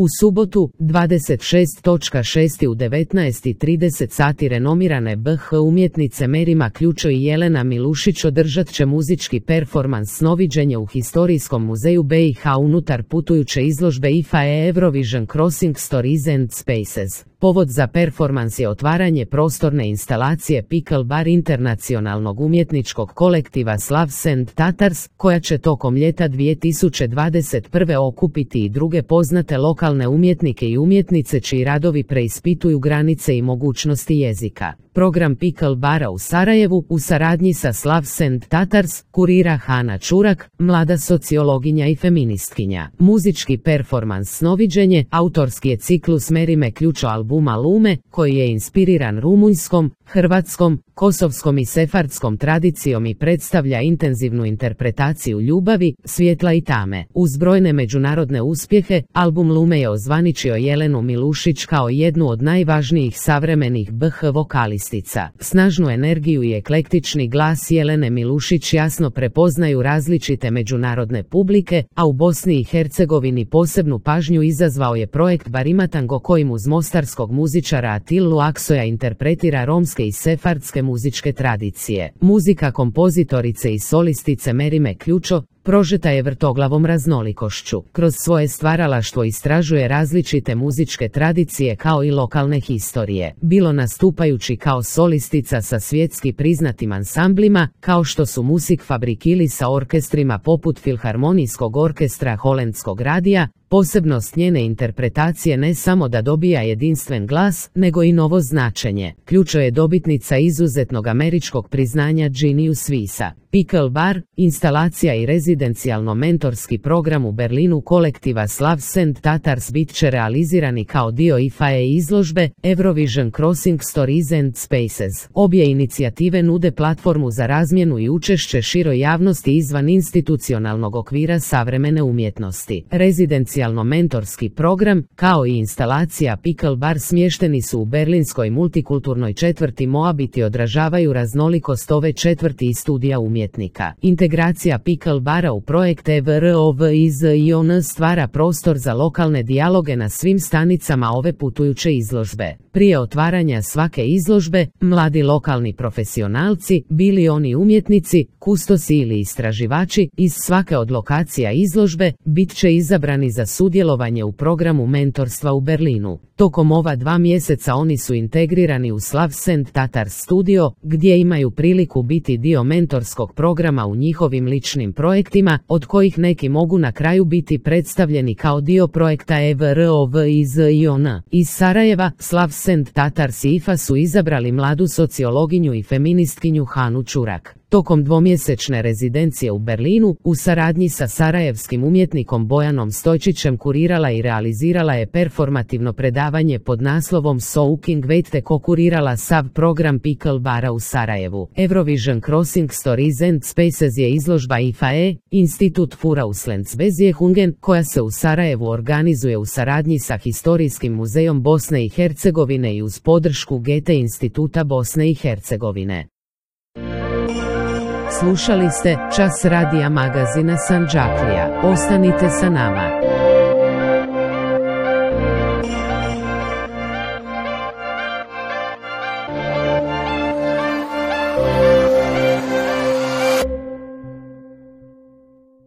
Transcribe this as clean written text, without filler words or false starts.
U subotu, 26.6. u 19:30 sati renomirane BH umjetnice Merima Ključo i Jelena Milušić održat će muzički performans Snoviđenje u Historijskom muzeju BiH unutar putujuće izložbe IFA Eurovision Crossing Stories and Spaces. Povod za performans je otvaranje prostorne instalacije Pickle Bar internacionalnog umjetničkog kolektiva Slavs and Tatars, koja će tokom ljeta 2021. okupiti i druge poznate lokalne umjetnike i umjetnice čiji radovi preispituju granice i mogućnosti jezika. Program Pickle Bara u Sarajevu, u saradnji sa Slavs and Tatars, kurira Hana Čurak, mlada sociologinja i feministkinja. Muzički performans Snoviđenje autorski je ciklus Merime Ključo albuma Lume, koji je inspiriran rumunjskom, hrvatskom, kosovskom i sefardskom tradicijom i predstavlja intenzivnu interpretaciju ljubavi, svjetla i tame. Uz brojne međunarodne uspjehe, album Lume je ozvaničio Jelenu Milušić kao jednu od najvažnijih savremenih BH vokalistica. Snažnu energiju i eklektični glas Jelene Milušić jasno prepoznaju različite međunarodne publike, a u Bosni i Hercegovini posebnu pažnju izazvao je projekt Barimatango kojim uz mostarskog muzičara Atilu Aksoja interpretira romske i sefardske muzičke tradicije. Muzika kompozitorice i solistice Merime Ključo prožeta je vrtoglavom raznolikošću. Kroz svoje stvaralaštvo istražuje različite muzičke tradicije kao i lokalne historije. Bilo nastupajući kao solistica sa svjetski priznatim ansamblima, kao što su Musikfabrik ili sa orkestrima poput Filharmonijskog orkestra Holandskog radija. Posebnost njene interpretacije ne samo da dobija jedinstven glas, nego i novo značenje. Ključo je dobitnica izuzetnog američkog priznanja Genius Visa. Pickle Bar, instalacija i rezidencijalno mentorski program u Berlinu kolektiva Slavs and Tatars bit će realizirani kao dio IFA izložbe Eurovision Crossing Stories and Spaces. Obje inicijative nude platformu za razmjenu i učešće široj javnosti izvan institucionalnog okvira savremene umjetnosti. Rezidencijalno mentorski program, kao i instalacija Pickle Bar smješteni su u berlinskoj multikulturnoj četvrti Moabit i odražavaju raznolikost ove četvrti i studija umjetnika. Integracija Pickle Bara u projekt EVROVIZION stvara prostor za lokalne dijaloge na svim stanicama ove putujuće izložbe. Prije otvaranja svake izložbe, mladi lokalni profesionalci, bili oni umjetnici, kustosi ili istraživači, iz svake od lokacija izložbe, bit će izabrani za sudjelovanje u programu mentorstva u Berlinu. Tokom ova 2 mjeseca oni su integrirani u Slavs and Tatars studio, gdje imaju priliku biti dio mentorskog programa u njihovim ličnim projektima, od kojih neki mogu na kraju biti predstavljeni kao dio projekta EVROVIZION. Iz Sarajeva, Slavs and Tatars i IFA su izabrali mladu sociologinju i feministkinju Hanu Čurak. Tokom 2-mjesečne rezidencije u Berlinu, u saradnji sa sarajevskim umjetnikom Bojanom Stojčićem kurirala i realizirala je performativno predavanje pod naslovom Soaking Wet te kokurirala sav program Pickle Bara u Sarajevu. Eurovision Crossing Stories and Spaces je izložba IFAE, Institut für Auslandsbeziehungen, koja se u Sarajevu organizuje u saradnji sa Historijskim muzejom Bosne i Hercegovine i uz podršku Goethe instituta Bosne i Hercegovine. Slušali ste Čas radija magazina Sandžaklija. Ostanite sa nama.